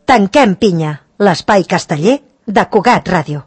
Tanquem pinya, l'espai casteller de Cugat Ràdio.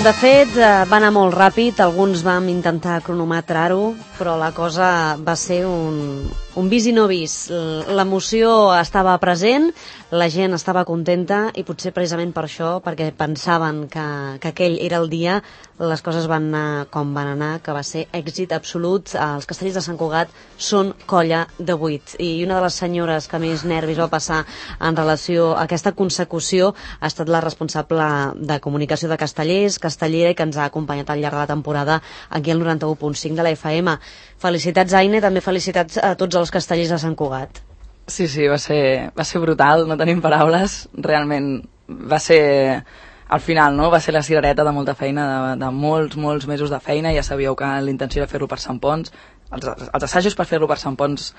De fet, va anar molt ràpid, alguns vam intentar cronometrar-ho, però la cosa va ser un vis i no vis. L'emoció estava present, la gent estava contenta i potser precisament per això, perquè pensaven que aquell era el dia, les coses van anar com van anar, que va ser èxit absolut. Els Castellers de Sant Cugat són colla de 8 i una de les senyores que més nervis va passar en relació a aquesta consecució ha estat la responsable de comunicació de Castellers, castellera, i que ens ha acompanyat al llarg de la temporada aquí al 91.5 de la FM. Felicitats, Aine, també felicitats a tots els castellers de Sant Cugat. Sí, va ser brutal, no tenim paraules, realment va ser, al final, no? Va ser la cirereta de molta feina, de molts mesos de feina. Ja sabíeu que l'intenció era fer-lo per Sant Ponç, els assajos per fer-lo per Sant Ponç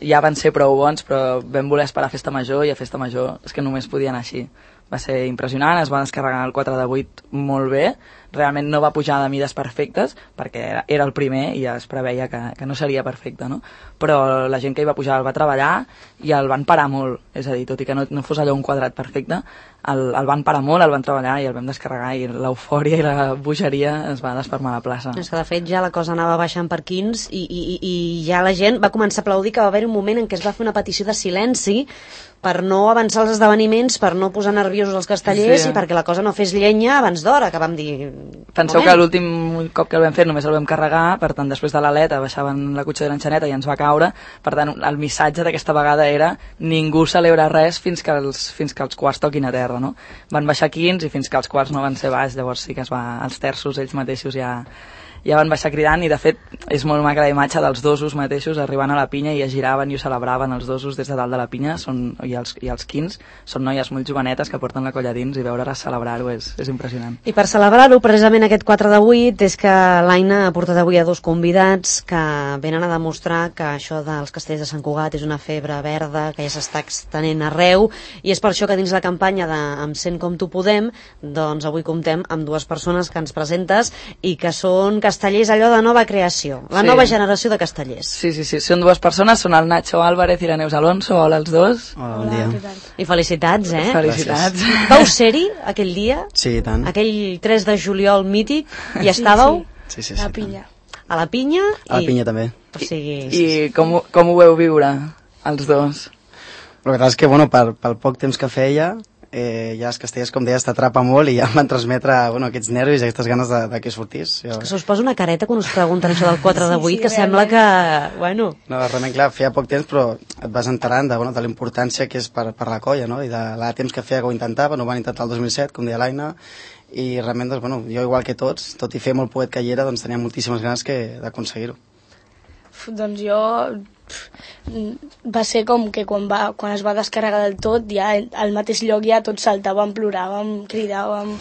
ja van ser prou bons, però vam voler esperar a Festa Major, i a Festa Major és que només podia anar així. Va ser impressionant, es va descarregar el 4 de 8 molt bé, realment no va pujar de mides perfectes, perquè era el primer i ja es preveia que no seria perfecte, no? Però la gent que hi va pujar el va treballar i el van parar molt, és a dir, tot i que no fos allò un quadrat perfecte, el van parar molt, el van treballar i el vam descarregar, i l'eufòria i la bogeria es va desfermar a la plaça. És que de fet ja la cosa anava baixant per quins i ja la gent va començar a aplaudir, que va haver un moment en què es va fer una petició de silenci per no avançar els esdeveniments, per no posar nerviosos els castellers, sí, i perquè la cosa no fes llenya abans d'hora, que vam dir... Penseu que l'últim cop que el vam fer només el vam carregar, per tant després de l'aleta baixaven la cotxe de l'enxaneta i ens va caure, per tant el missatge d'aquesta vegada era ningú celebra res fins que els quarts toquin a terra, no? Van baixar 15 i fins que els quarts no van ser baix, llavors sí que els terços ells mateixos ja van baixar cridant, i de fet és molt maca la imatge dels dosos mateixos arribant a la pinya i es giraven i ho celebraven els dosos des de dalt de la pinya, i els quins són noies molt jovenetes que porten la colla dins, i veure-les celebrar-ho és impressionant. I per celebrar-ho, precisament aquest 4 de 8, és que l'Aina ha portat avui a dos convidats que venen a demostrar que això dels castellers de Sant Cugat és una febre verda que ja s'està extenent arreu, i és per això que dins la campanya de Em sent com tu podem, doncs avui comptem amb dues persones que ens presentes i que són castellers allò de nova creació, la nova generació de castellers. Sí, són dues persones, són el Nacho Álvarez i la Neus Alonso. Hola els dos. Hola, bon dia. I felicitats, Felicitats. Gràcies. Vau ser-hi aquell dia? Sí, i tant. Aquell 3 de juliol mític, hi estàveu? Sí. A la Pinya. A la Pinya? A la Pinya també. O sigui... I com ho veu viure, els dos? La veritat és que, pel poc temps que feia, ja els castellers, com deies, t'atrapa molt, i ja em van transmetre aquests nervis i aquestes ganes de que sortís. És que se us posa una careta quan us pregunten això del 4 de 8, que sembla que... Bueno... No, realment, clar, feia poc temps, però et vas enterant de la importància que és per la colla, no? I de la temps que feia que ho intentava, no ho van intentar el 2007, com deia l'Aina, i realment, jo igual que tots, tot i fer molt poet que hi era, tenia moltíssimes ganes d'aconseguir-ho. Doncs jo... va ser com que quan es va descarregar del tot, ja al mateix lloc ja tots saltàvem, ploràvem, cridàvem,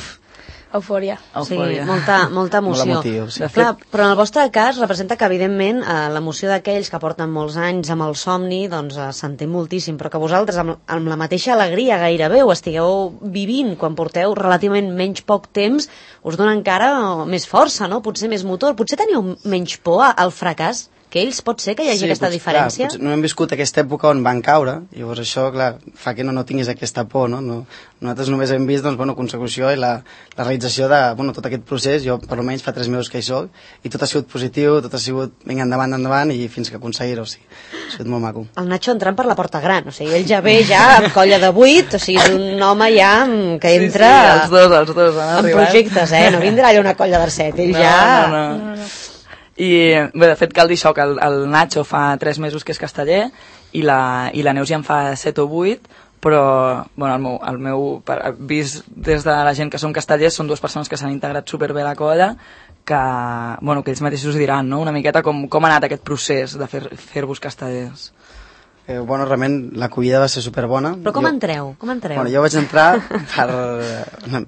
eufòria. Sí, molta emoció. Molt emotiu, sí. Clar, però en el vostre cas representa que evidentment l'emoció d'aquells que porten molts anys amb el somni doncs s'entén moltíssim, però que vosaltres amb la mateixa alegria gairebé ho estigueu vivint quan porteu relativament menys poc temps, us dona encara més força, no? Potser més motor, potser teniu menys por al fracàs que ells, pot ser que hi hagi aquesta diferència? Clar, no hem viscut aquesta època on van caure, llavors això, clar, fa que no tinguis aquesta por, no? Nosaltres només hem vist, consecució i la realització de, tot aquest procés. Jo, per almenys, fa 3 mesos que hi soc, i tot ha sigut positiu, tot ha sigut, vinga, endavant, i fins que aconseguir-ho, o sigui, ha sigut molt maco. El Nacho entrant per la porta gran, o sigui, ell ja ve amb colla de 8, o sigui, és un home ja que entra... Sí, els dos han arribat. En projectes, no vindrà allà una colla de 7, ell ja... No. I bé, de fet cal dir això, que el Nacho fa 3 mesos que és casteller i la Neus ja en fa 7 o 8, però el meu vist des de la gent que són castellers són dues persones que s'han integrat superbé a la colla, que ells mateixos diran, no? Una miqueta com ha anat aquest procés de fer-vos castellers. Realment l'acollida va ser superbona. Però com entreu? Jo vaig entrar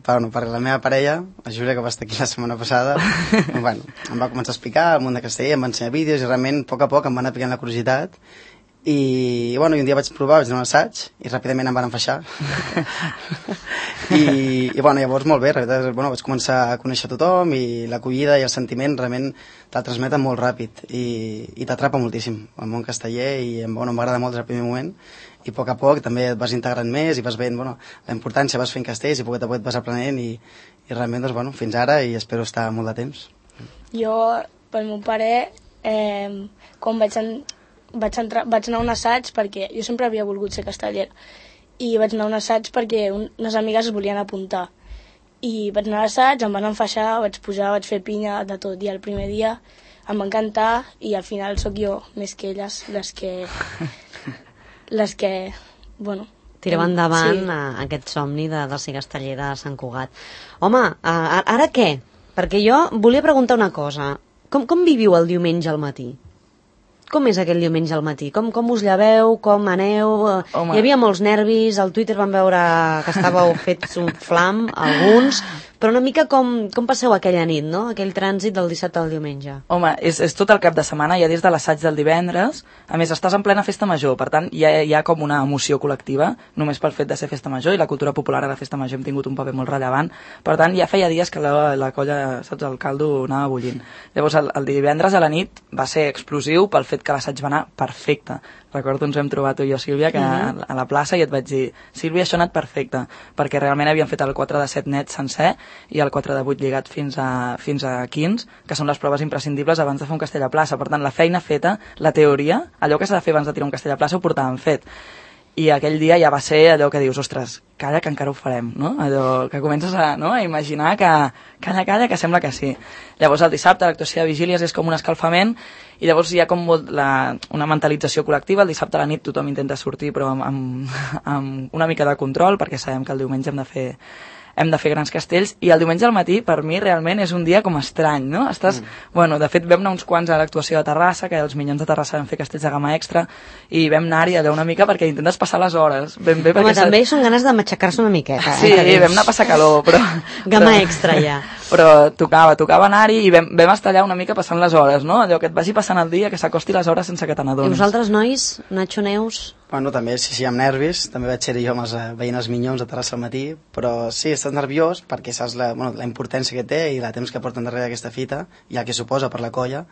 per la meva parella, la Júlia, que va estar aquí la setmana passada. Em va començar a explicar el món de casteller, em va ensenyar vídeos, i realment a poc em va anar picant la curiositat, i un dia vaig provar, vaig anar a un assaig i ràpidament em van enfaixar i llavors molt bé, vaig començar a conèixer tothom i l'acollida i el sentiment realment te'l transmeten molt ràpid i t'atrapa moltíssim el món casteller i m'agrada molt des del primer moment i a poc també et vas integrant més i vas veient la importància, vas fent castells i a poc a poc et vas aprenent i realment fins ara i espero estar molt de temps. Jo, pel meu pare, quan vaig anar a un assaig perquè jo sempre havia volgut ser castellera i vaig anar a un assaig perquè unes amigues es volien apuntar i vaig anar a l'assaig, em van enfaixar, vaig pujar, vaig fer pinya de tot i el primer dia em va encantar i al final sóc jo més que elles les que tirava endavant aquest somni de ser casteller de Sant Cugat. Home, ara què? Perquè jo volia preguntar una cosa. Com viviu el diumenge al matí? Com és aquell diumenge al matí? Com us lleveu? Com aneu? Home. Hi havia molts nervis, al Twitter vam veure que estàveu fets un flam, alguns, però una mica com passeu aquella nit, no? Aquell trànsit del dissabte al diumenge. Home, és tot el cap de setmana, ja des de l'assaig del divendres, a més estàs en plena festa major, per tant hi ha com una emoció col·lectiva, només pel fet de ser festa major, i la cultura popular a la festa major hem tingut un paper molt rellevant, per tant ja feia dies que la colla, saps, el caldo anava bullint. Llavors el divendres a la nit va ser explosiu pel fet que l'assaig va anar perfecte. Recordo, ens vam trobar tu i jo, Sílvia, que a la plaça i et vaig dir, Sílvia, això ha anat perfecte, perquè realment havíem fet el 4 de 7 net sencer i el 4 de 8 lligat fins a 15, que són les proves imprescindibles abans de fer un castell a plaça. Per tant, la feina feta, la teoria, allò que s'ha de fer abans de tirar un castell a plaça ho portàvem fet. I aquell dia ja va ser allò que dius, ostres, calla que encara ho farem, no? Allò que comences a imaginar que calla, que sembla que sí. Llavors el dissabte l'actuació de vigílies és com un escalfament i llavors hi ha com una mentalització col·lectiva. El dissabte a la nit tothom intenta sortir però amb una mica de control perquè sabem que el diumenge hem de fer grans castells i el diumenge al matí per mi realment és un dia com estrany, no? De fet vam anar uns quants a l'actuació de Terrassa, que els Minyons de Terrassa vam fer castells de gamma extra i vam anar-hi allò una mica perquè intentes passar les hores ben bé. Home, també són ganes de matxacar-se una miqueta. Sí, vam anar a passar calor, però... Gamma extra ja. Però tocava anar-hi i vam estar allà una mica passant les hores, no? Allò que et vagi passant el dia, que s'acosti les hores sense que te n'adonis. I vosaltres, nois, Nacho, Neus? També, sí, amb nervis, també vaig ser jo veient els Minyons de Terrassa al matí, però sí, estàs nerviós perquè saps la importància que té i la temps que porten darrere d'aquesta fita i el que suposa per la colla,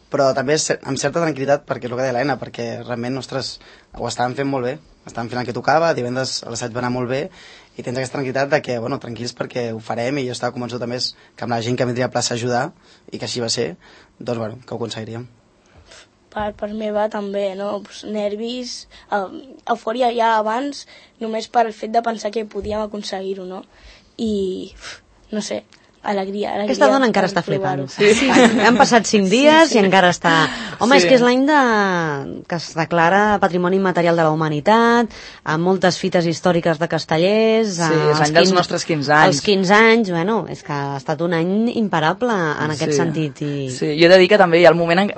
però també amb certa tranquil·litat perquè és el que deia l'Helena, perquè realment, ostres, ho estàvem fent molt bé, estàvem fent el que tocava, divendres l'assaig va anar molt bé i tens aquesta tranquil·litat de que, tranquils perquè ho farem i jo estava convençut també que amb la gent que vindria a plaça a ajudar i que així va ser, doncs que ho aconseguiríem. Per meva també, no? Nervis, eufòria ja abans, només per el fet de pensar que podíem aconseguir-ho, no? I, no sé, alegria. Aquesta dona encara està flipant. Sí. Han passat 5 dies i encara està... Home, és que és l'any que es declara Patrimoni Immaterial de la Humanitat, amb moltes fites històriques de castellers... Sí, és l'any dels nostres 15 anys. Els 15 anys, és que ha estat un any imparable en aquest sentit. Sí, jo he de dir que també hi ha el moment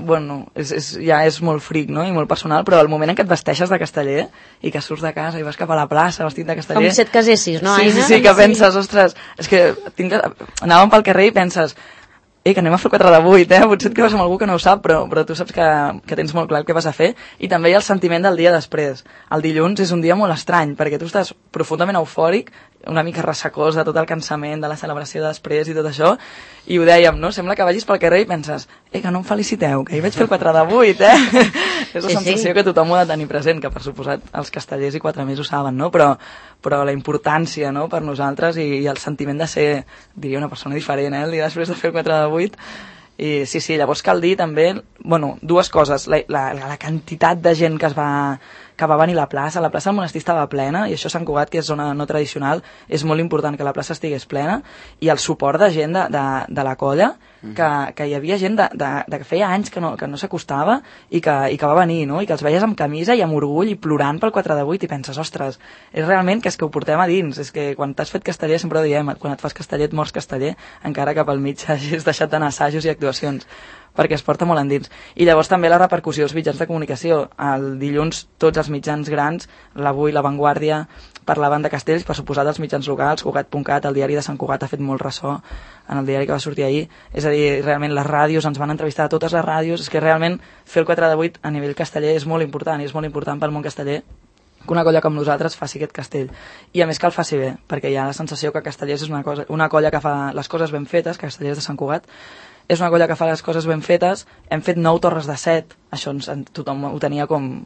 ja és molt fric, no?, i molt personal, però el moment en què et vesteixes de casteller i que surts de casa i vas cap a la plaça vestit de casteller... Com si et casessis, no, Aina? Sí, que penses, ostres, és que anàvem pel carrer i penses que anem a fer 4 de 8, potser et quedes amb algú que no ho sap, però tu saps que tens molt clar el que vas a fer, i també hi ha el sentiment del dia després. El dilluns és un dia molt estrany, perquè tu estàs profundament eufòric, una mica ressecós de tot el cansament, de la celebració després i tot això, i ho dèiem, no? Sembla que vagis pel carrer i penses, que no em feliciteu, que hi vaig fer 4 de 8, És la sensació que tothom ho ha de tenir present, que per suposat els castellers i 4 més ho saben, no? Però la importància, no?, per nosaltres i el sentiment de ser, diria, una persona diferent, el dia després de fer el 4 de 8. I sí, llavors cal dir també, dues coses, la quantitat de gent que va venir a la plaça del monestir estava plena, i això a Sant Cugat, que és zona no tradicional, és molt important que la plaça estigués plena, i el suport de gent de la colla, que hi havia gent que feia anys que no s'acostava i que va venir, no?, i que els veies amb camisa i amb orgull i plorant pel 4 de 8 i penses, ostres, és realment que és que ho portem a dins, és que quan t'has fet casteller, sempre ho diem, quan et fas casteller et mors casteller, encara que pel mig hagis deixat d'anar assajos i actuacions. perquè es porta molt endins. I llavors també la repercussió dels mitjans de comunicació. El dilluns tots els mitjans grans, l'Avui, La Vanguardia, parlaven de castells, per suposar dels mitjans locals, Cugat.cat, el diari de Sant Cugat ha fet molt ressò en el diari que va sortir ahir, és a dir, realment les ràdios, ens van entrevistar a totes les ràdios, és que realment fer el 4 de 8 a nivell casteller és molt important, i és molt important pel món casteller que una colla com nosaltres faci aquest castell. I a més que el faci bé, perquè hi ha la sensació que Castellers és una colla que fa les coses ben fetes, Castellers de Sant Cugat, és una colla que fa les coses ben fetes, hem fet 9 torres de 7, això tothom ho tenia com...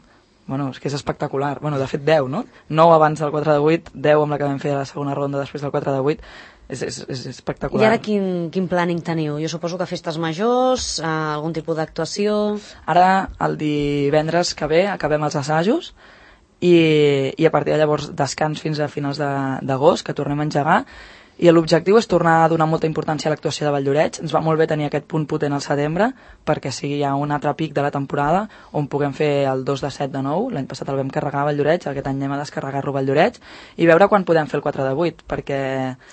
Bueno, és que és espectacular. Bueno, de fet 10, no? 9 abans del 4 de 8, 10 amb la que vam fer a la segona ronda després del 4 de 8. És espectacular. I ara quin planning teniu? Jo suposo que festes majors, algun tipus d'actuació... Ara, el divendres que ve, acabem els assajos i a partir de llavors descans fins a finals d'agost, que tornem a engegar, i l'objectiu és tornar a donar molta importància a l'actuació de Valldoreix. Ens va molt bé tenir aquest punt potent al setembre perquè sigui ja un altre pic de la temporada on puguem fer el 2 de 7 de nou. L'any passat el vam carregar a Valldoreix, aquest any anem a descarregar-lo a Valldoreix i veure quan podem fer el 4 de 8 perquè...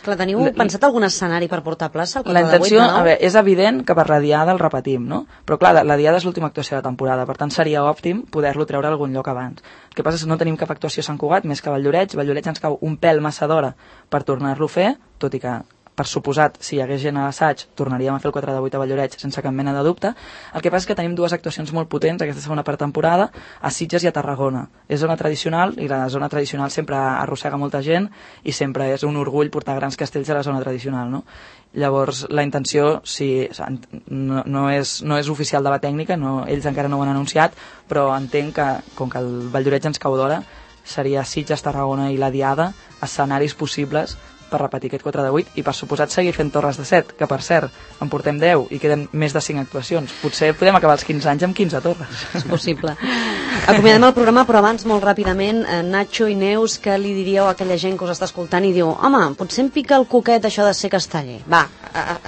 Clar, teniu pensat algun escenari per portar a plaça el 4 la intenció, de 8 de nou? A veure, és evident que per la diada el repetim, no? Però clar, la diada és l'última actuació de la temporada, per tant seria òptim poder-lo treure a algun lloc abans. El que passa és que no tenim cap actuació a Sant Cugat més que a Valldoreix. Valldoreix ens cau un pèl massa d'hora per tornar-lo a fer, tot i que per suposat, si hi hagués gent a l'assaig, tornaríem a fer el 4 de 8 a Valldoreix sense cap mena de dubte. El que passa és que tenim dues actuacions molt potents aquesta segona part temporada, a Sitges i a Tarragona. És zona tradicional, i la zona tradicional sempre arrossega molta gent, i sempre és un orgull portar grans castells a la zona tradicional, no? Llavors, la intenció, no és oficial de la tècnica, ells encara no ho han anunciat, però entenc que, com que el Valldoreix ens cau d'hora, seria Sitges, Tarragona i la Diada, escenaris possibles per repetir aquest 4 de 8 i per suposat seguir fent torres de 7, que per cert en portem 10 i queden més de 5 actuacions. Potser podem acabar els 15 anys amb 15 torres. És possible. Acomiadem el programa, però abans, molt ràpidament, Nacho i Neus, què li diríeu a aquella gent que us està escoltant i diu, home, potser em pica el coquet això de ser casteller. Va,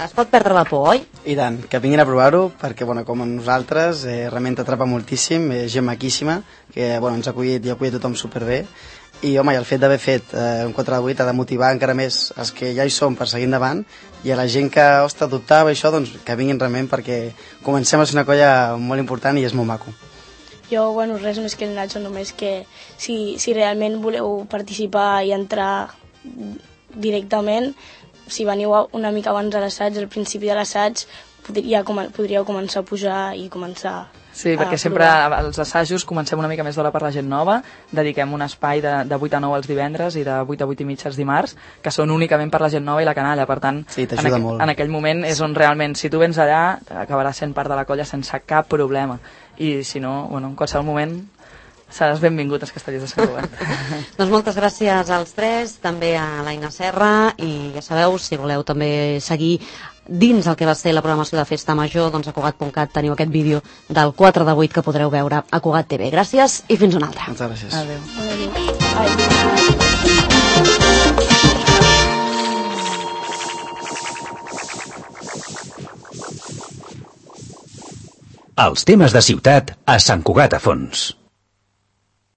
es pot perdre la por, oi? I tant, que vinguin a provar-ho, perquè, com nosaltres, realment t'atrapa moltíssim, gent maquíssima, que ens ha acollit i ha acollit tothom superbé. I home, el fet d'haver fet un 4 de 8 ha de motivar encara més els que ja hi som per seguir endavant, i a la gent que dubtava això, doncs que vinguin realment, perquè comencem a ser una colla molt important i és molt maco. Jo, res més que el Nacho, només que si realment voleu participar i entrar directament, si veniu una mica abans de l'assaig, al principi de l'assaig, podríeu començar a pujar i començar. Sí, perquè sempre als assajos comencem una mica més d'hora per la gent nova, dediquem un espai de 8 a 9 els divendres i de 8 a 8 i mig els dimarts, que són únicament per la gent nova i la canalla, per tant, sí, t'ajuda molt. En aquell moment és on realment, si tu vens allà, acabaràs sent part de la colla sense cap problema, i si no, en qualsevol moment seràs benvingut als Castellers de Sant Cugat. Doncs moltes gràcies als tres, també a l'Aina Serra, i ja sabeu, si voleu també seguir dins el que va ser la programació de Festa Major, doncs a Cugat.cat teniu aquest vídeo del 4 de 8 que podreu veure a Cugat TV. Gràcies i fins una altra. Moltes gràcies. Adéu. Els temes de ciutat a Sant Cugat a fons.